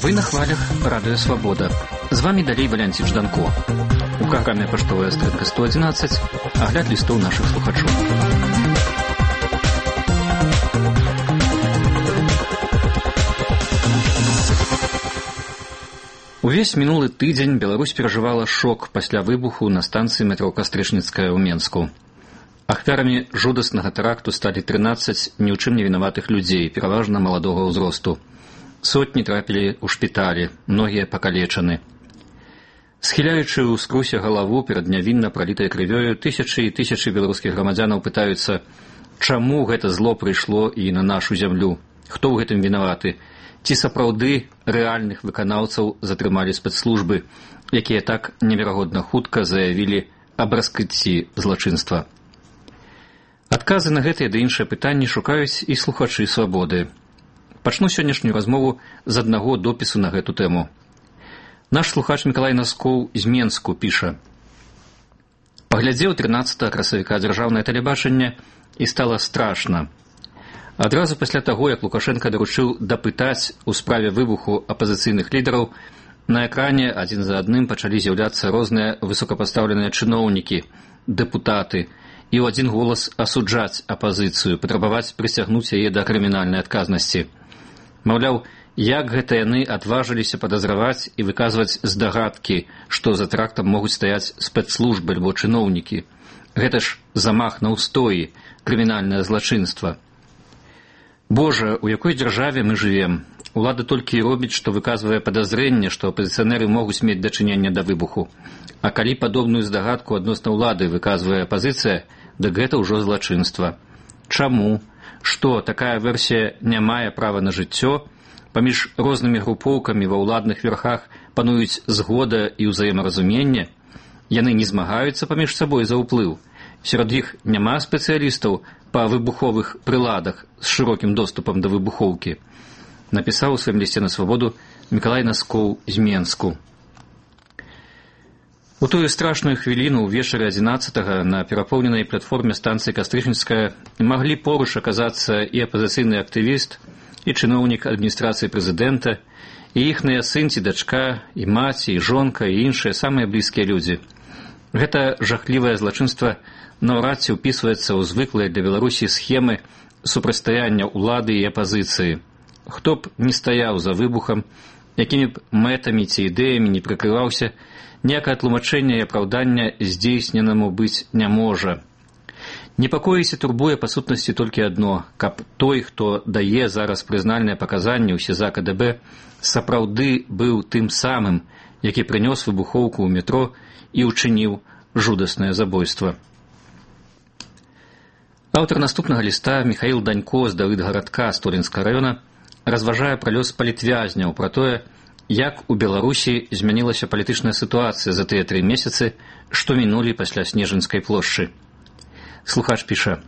Вы на хвалях Радио Свобода. З вами далей Валянцін Жданко. У праграме «Паштовая скрытка 111» агляд лістоў нашых слухачоў. Увесь мінулы тыдзень Беларусь перажывала шок пасля выбуху на станцыі метро Кастрычніцкая ў Менску. Ахвярамі жудаснага тэракту сталі 13 ні ў чым не вінаватых людзей, пераважна маладога ўзросту. Сотні трапілі ў шпіталі, многія пакалечаны. Схіляючы ў скрусе галаву перад нявінна пралітай крывёю, тысячы і тысячы беларускіх грамадзянаў пытаюцца, чаму гэта зло прыйшло і на нашу зямлю, хто ў гэтым вінаваты, ці сапраўды рэальных выканаўцаў затрымалі спецслужбы, якія так неверагодна хутка заявілі аб раскрыцці злачынства. Адказы на гэтыя ды іншыя пытанні шукаюць і слухачы «Свабоды». Пачну сённяшнюю размову з аднаго допісу на гэту тэму. Наш слухач Мікалай Наскоў з Менску піша: «Паглядзеў 13 красавіка дзяржаўнае тэлебачанне і стала страшна. Адразу пасля таго, як Лукашенка даручыў дапытаць у справе выбуху апазіцыйных лідараў, на экране адзін за адным пачалі з'яўляцца розныя высокапастаўленыя чыноўнікі, дэпутаты, і ў адзін голас асуджаць апазіцыю, патрабаваць прысягнуць яе да крымінальнай адказнасці. Маўляў, як гэта яны адважыліся падазраваць і выказваць здагадкі, што за тэрактам могуць стаяць спецслужбы альбо чыноўнікі. Гэта ж замах на ўстоі, крымінальнае злачынства. Божа, у якой дзяржаве мы жывем? Улада толькі і робіць, што выказвае падазрэнне, што апазіцыянеры могуць мець дачыненне да выбуху. А калі падобную здагадку адносна ўлады выказвае апазіцыя, дык гэта ўжо злачынства. Чаму? Што, такая версія не мае права на жыццё? Паміж рознымі групоўкамі ва ўладных верхах пануюць згода і ўзаемаразуменне? Яны не змагаюцца паміж сабой за ўплыў? Сярод іх няма спецыялістаў па выбуховых прыладах з шырокім доступам да выбухоўкі? Напісаў у сваім лісце на Свабоду Мікалай Наскоў з Менску. У тую страшную хвіліну ўвечары 11-го на перапоўненай платформе станцыі Кастрычніцкая маглі поруч аказацца і апазіцыйны актывіст, і чыноўнік адміністрацыі прэзідэнта, і іхныя сын ці дачка, і маці, і жонка, і іншыя самыя блізкія людзі. Гэта жахлівае злачынства наўрад ці ўпісваецца ў звыклыя для Беларусі схемы супрацьстаяння ўлады і апазіцыі. Хто б не стаяў за выбухам, якімі б мэтамі ці ідэямі не прыкрываўся, ніякае тлумачэнне і апраўдання здзейсненаму быць не можа. Непакоіць і турбуе па сутнасці толькі адно, каб той, хто дае зараз прызнальныя паказанні ў СІЗА КДБ, сапраўды быў тым самым, які прынёс выбухоўку ў метро і ўчыніў жудаснае забойства. Аўтар наступнага ліста Міхаіл Данько з Давыдгарадка Столінскага раёна разважае пра лёс палітвязняў, пра тое, як у Беларусі змянілася палітычная сітуацыя за тыя 3 месяцы, што мінулі пасля Снежынскай плошчы. Слухач піша: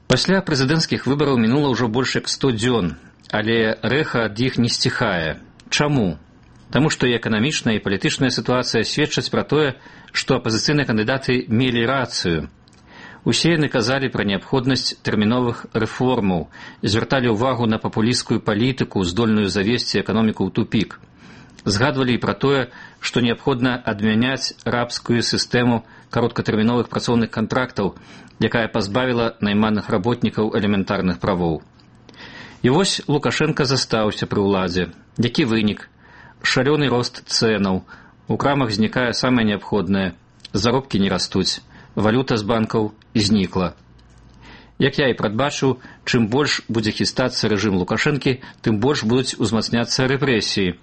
«Пасля прэзідэнцкіх выбараў мінула ўжо больш як 100 дзён, але рэха ад іх не сціхае. Чаму? Таму што і эканамічная і палітычная сітуацыя сведчаць пра тое, што апазіцыйныя кандыдаты мелі рацыю. Усе яны казалі пра неабходнасць тэрміновых рэформаў, звярталі ўвагу на папулісцкую палітыку, здольную завесці эканоміку ў тупік. Згадвалі і пра тое, што неабходна адмяняць рабскую сістэму кароткатэрміновых працоўных кантрактаў, якая пазбавіла найманых работнікаў элементарных правоў. І вось Лукашенка застаўся пры ўладзе. Які вынік? Шалёны рост цэнаў, у крамах знікае самае неабходнае, заробкі не растуць, валюта з банкаў знікла. Як я і прадбачыў, чым больш будзе хістацца рэжым Лукашэнкі, тым больш будуць узмацняцца рэпрэсіі.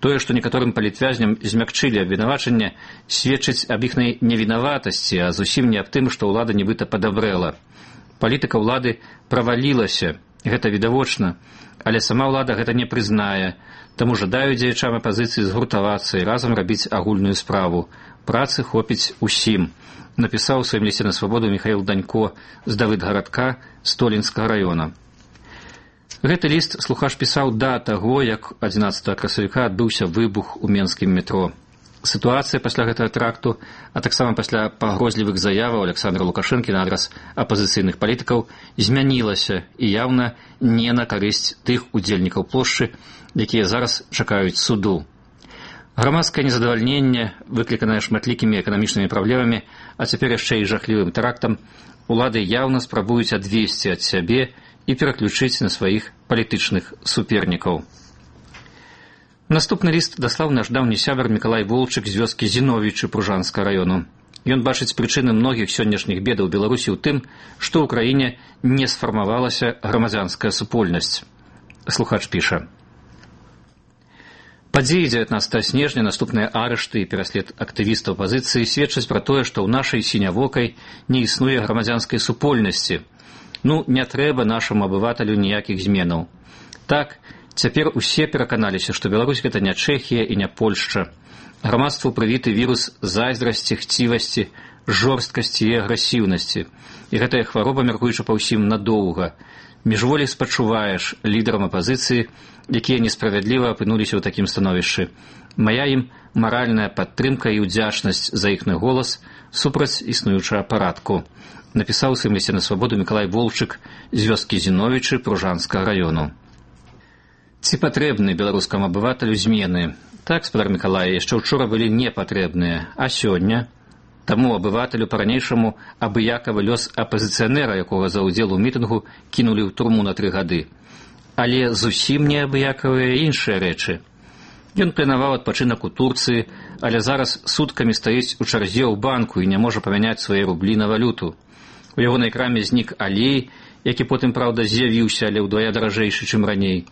Тое, што некаторым палітвязням змякчылі абвінавачанне, сведчыць аб іхнай невінаватасці, а зусім не аб тым, што ўлада нібыта падабрэла. Палітыка ўлады правалілася, гэта відавочна, але сама ўлада гэта не прызнае, таму жадаю дзеячам апазіцыі згуртавацца і разам рабіць агульную справу. Працы хопіць усім, напісаў у сваім лісце на Свабоду Міхаіл Данько з Давыдгарадка Столінскага раёна. Гэты ліст слухач пісаў да таго, як 11 красавіка адбыўся выбух у менскім метро. Сітуацыя пасля гэтага тракту, а таксама пасля пагрозлівых заяваў Александра Лукашэнкі на адрас апазіцыйных палітыкаў змянілася і яўна не на карысць тых удзельнікаў плошчы, якія зараз чакаюць суду. Грамадскае незадавальненне, выкліканае шматлікімі эканамічнымі праблемамі, а цяпер яшчэ і жахлівым тэрактам, улады яўна спрабуюць адвесці ад сябе і пераключыць на сваіх палітычных супернікаў. Наступны ліст даслаў наш даўні сябар Мікалай Волчык з вёскі Зіновічы Пружанскага раёну. Ён бачыць прычыны многіх сённяшніх бедаў Беларусі ў тым, што ў краіне не сфармавалася грамадзянская супольнасць. Слухач піша. Падзеі 19 снежня, наступныя арышты і пераслед актывістаў апазіцыі сведчаць пра тое, што ў нашай сінявокай не існуе грамадзянскай супольнасці. Не трэба нашаму абываталю ніякіх зменаў. Так, цяпер усе пераканаліся, што Беларусь гэта не Чэхія і не Польшча. Грамадству прывіты вірус зайздрасці, хцівасці, жорсткасці і агрэсіўнасці. І гэтая хвароба, мяркуючы па ўсім, надоўга. Міжволі спачуваеш лідарам апазіцыі, якія несправядліва апынуліся ў такім становішчы. Мая ім маральная падтрымка і ўдзячнасць за іхны голас супраць існуючага парадку. Напісаў у сваім лісце на свабоду Мікалай Волчык з вёскі Зіновічы Пружанскага раёну. Ці патрэбны беларускаму абываталю змены? Так, спадар Мікалай, яшчэ ўчора былі непатрэбныя, а сёння? Таму абываталю па-ранейшаму абыякавы лёс апазіцыянера, якога за ўдзел у мітынгу кінулі ў турму на 3 гады. Але зусім не абыякавыя іншыя рэчы. Ён планаваў адпачынак у Турцыі, але зараз суткамі стаіць у чарзе ў банку і не можа памяняць свае рублі на валюту. У ягонай краме знік алей, які потым, праўда, з'явіўся, але ўдвая даражэйшы, чым раней.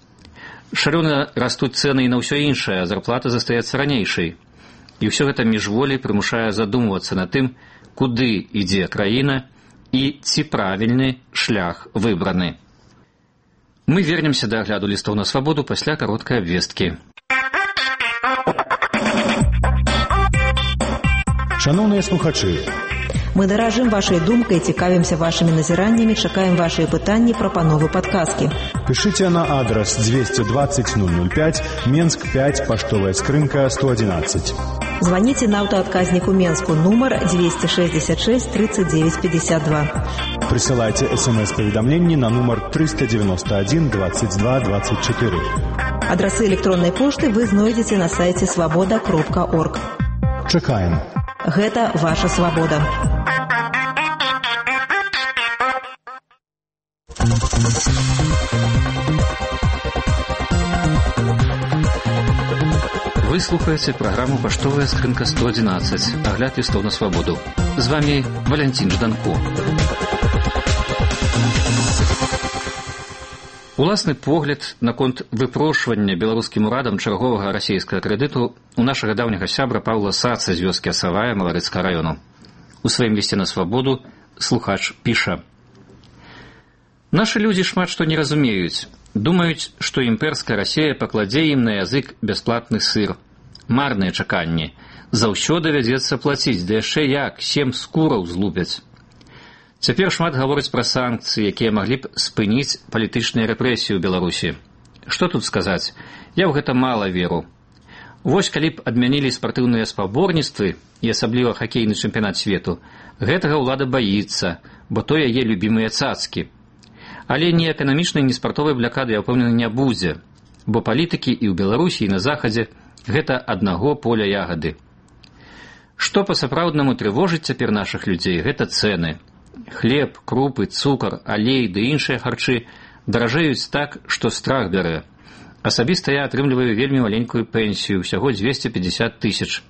Шалёна растуць цэны і на ўсё іншае, а зарплата застаецца ранейшай. І ўсё гэта міжволі прымушае задумвацца над тым, куды ідзе краіна і ці правільны шлях выбраны. Мы вернемся да агляду лістаў на свабоду пасля кароткай абвесткі. Шановныя слухачы, мы даражым вашай думкай, цікавімся вашымі назіраннямі, чакаем вашыя пытанні, прапановы, падказкі. Пішыце на адрас 220 005, Менск 5, паштовая скрынка 111. Звоните на аўтаадказніку Менску, нумар 266 39 52. Прысылайце СМС-паведамленні на нумар 391 22 24. Адрасы электроннай пошты вы знойдзеце на сайце свабода.орг. Чакаем. Гэта ваша свабода. Вы слухаеце праграму «Паштовая скрынка 111», агляд лістоў на свабоду. З вами Валянцін Жданко. Уласны погляд наконт выпрошвання беларускім урадам чарговага расійскага крэдыту у нашага даўняга сябра Паўла Саца з вёскі Асавая Маларыцкага раёну. У сваім лісце на свабоду слухач піша. Нашы людзі шмат што не разумеюць. Думаюць, што імперская Расія пакладзе ім на язык бясплатны сыр. Марныя чаканні. Заўсёды вядзецца плаціць, да яшчэ як, 7 скураў злупяць. Цяпер шмат гавораць пра санкцыі, якія маглі б спыніць палітычныя рэпрэсіі ў Беларусі. Што тут сказаць? Я ў гэта мала веру. Вось калі б адмянілі спартыўныя спаборніцтвы, і асабліва хакейны чэмпіянат свету, гэтага ўлада баіцца, бо то яе любімыя цацкі. Але ні эканамічнай, ні спартовай блякады, я ўпэўнены, не будзе, бо палітыкі і ў Беларусі, і на Захадзе гэта аднаго поля ягады. Што па-сапраўднаму трывожыць цяпер нашых людзей, гэта цэны. Хлеб, крупы, цукар, алей ды іншыя харчы даражэюць так, што страх бярэ. Асабіста я атрымліваю вельмі маленькую пенсію, ўсяго 250 000.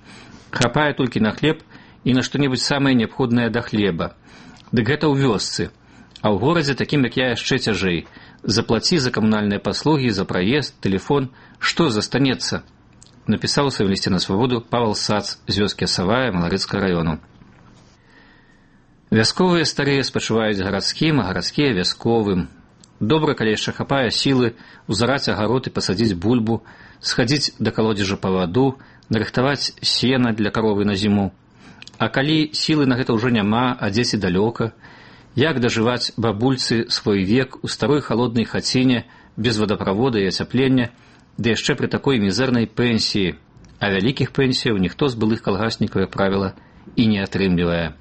Хапае толькі на хлеб і на што-небудзь самае неабходнае да хлеба. Дык гэта ў вёсцы. А ў горадзе, такім як я, яшчэ цяжэй. Заплаці за камунальныя паслугі, за праезд, тэлефон. Што застанецца? Напісаў у сваім лісце на свабоду Павел Сац з вёскі Асавая Маларыцкага раёну. Вясковыя старыя спачуваюць гарадскім, а гарадскія вясковым. Добра, калі яшчэ хапае сілы узараць агарод і пасадзіць бульбу, схадзіць да калодзежа па ваду, нарыхтаваць сена для каровы на зіму. А калі сілы на гэта ўжо няма, а дзеці далёка, як дажываць бабульцы свой век у старой халоднай хаціне без вадаправода і ацяплення, ды яшчэ пры такой мізэрнай пенсіі, а вялікіх пенсіяў ніхто з былых калгаснікаў, як правіла, і не атрымлівае.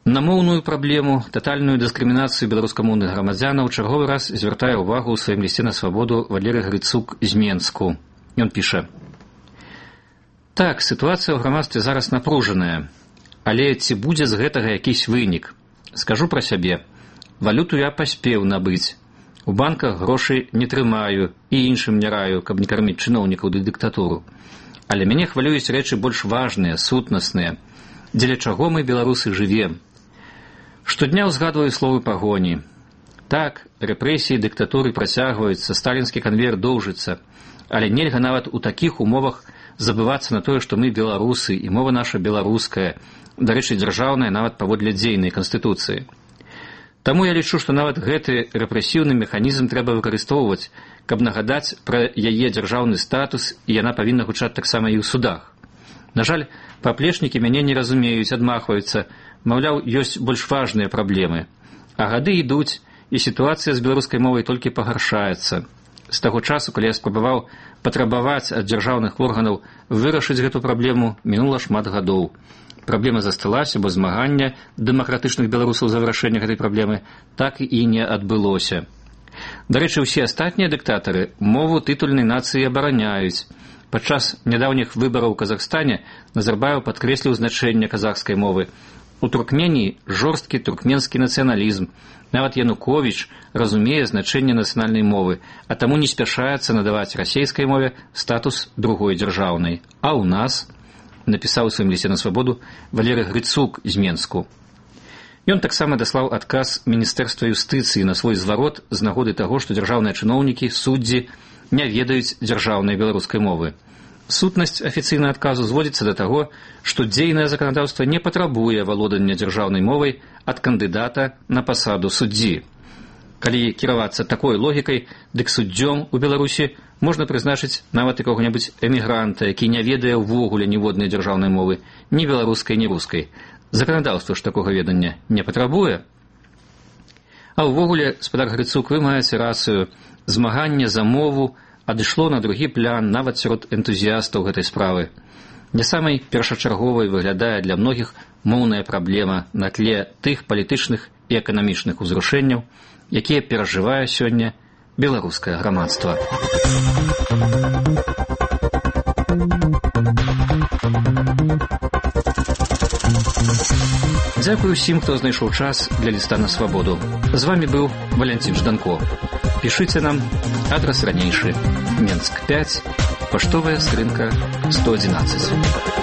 На моўную праблему, татальную дыскрымінацыю беларускамоўных грамадзянаў чарговы раз звяртае ўвагу ў сваім лісце на свабоду Валерый Грыцук з Менску. Ён піша: «Так, сітуацыя ў грамадстве зараз напружаная, але ці будзе з гэтага якісь вынік? Скажу пра сябе. Валюту я паспеў набыць. У банках грошай не трымаю і іншым не раю, каб не карміць чыноўнікаў ды дыктатуру. Але мяне хвалююць рэчы больш важныя, сутнасныя. Дзеля чаго мы, беларусы, жывем? Штодня ўзгадваю словы пагоні. Так, рэпрэсіі дыктатуры працягваюцца, сталінскі канвеер доўжыцца, але нельга нават у такіх умовах забывацца на тое, што мы беларусы і мова наша беларуская, дарэчы, дзяржаўная нават паводле дзейнай канстытуцыі. Таму я лічу, што нават гэты рэпрэсіўны механізм трэба выкарыстоўваць, каб нагадаць пра яе дзяржаўны статус, і яна павінна гучаць таксама і ў судах. На жаль, паплечнікі мяне не разумеюць, адмахваюцца, маўляў, ёсць больш важныя праблемы. А гады ідуць, і сітуацыя з беларускай мовай толькі пагаршаецца. З таго часу, калі я спрабаваў патрабаваць ад дзяржаўных органаў вырашыць гэту праблему, мінула шмат гадоў. Праблема засталася, бо змагання дэмакратычных беларусаў за вырашэнне гэтай праблемы так і не адбылося. Дарэчы, усе астатнія дыктатары мову тытульнай нацыі абараняюць. Падчас нядаўніх выбараў у Казахстане Назарбаев падкрэсліў значэнне казахскай мовы. У Туркменіі жорсткі туркменскі нацыяналізм. Нават Януковіч разумее значэнне нацыянальнай мовы, а таму не спяшаецца надаваць расейскай мове статус другой дзяржаўнай. А ў нас, напісаў у сваім лісце на свабоду Валерый Грыцук з Менску. Ён таксама даслаў адказ Міністэрства юстыцыі на свой зварот з нагоды таго, што дзяржаўныя чыноўнікі, суддзі не ведаюць дзяржаўнай беларускай мовы. Сутнасць афіцыйнага адказу зводзіцца да таго, што дзейнае заканадаўства не патрабуе валодання дзяржаўнай мовай ад кандыдата на пасаду суддзі. Калі кіравацца такой логікай, дык суддзём у Беларусі можна прызначыць нават якога-небудзь эмігранта, які не ведае ўвогуле ніводнай дзяржаўнай мовы, ні беларускай, ні рускай. Заканадаўства ж такога ведання не патрабуе. А ўвогуле, спадар Грыцук, вы маеце рацыю, змаганне за мову адышло на другі план нават сярод энтузіястаў гэтай справы. Не самай першачарговай выглядае для многіх моўная праблема на тле тых палітычных і эканамічных узрушэнняў, якія перажывае сёння беларускае грамадства. Дзякую ўсім, хто знайшоў час для ліста на свабоду. З вамі быў Валянцін Жданко. Пішыце нам, адрас ранейшы, Менск 5, паштовая скрынка 111.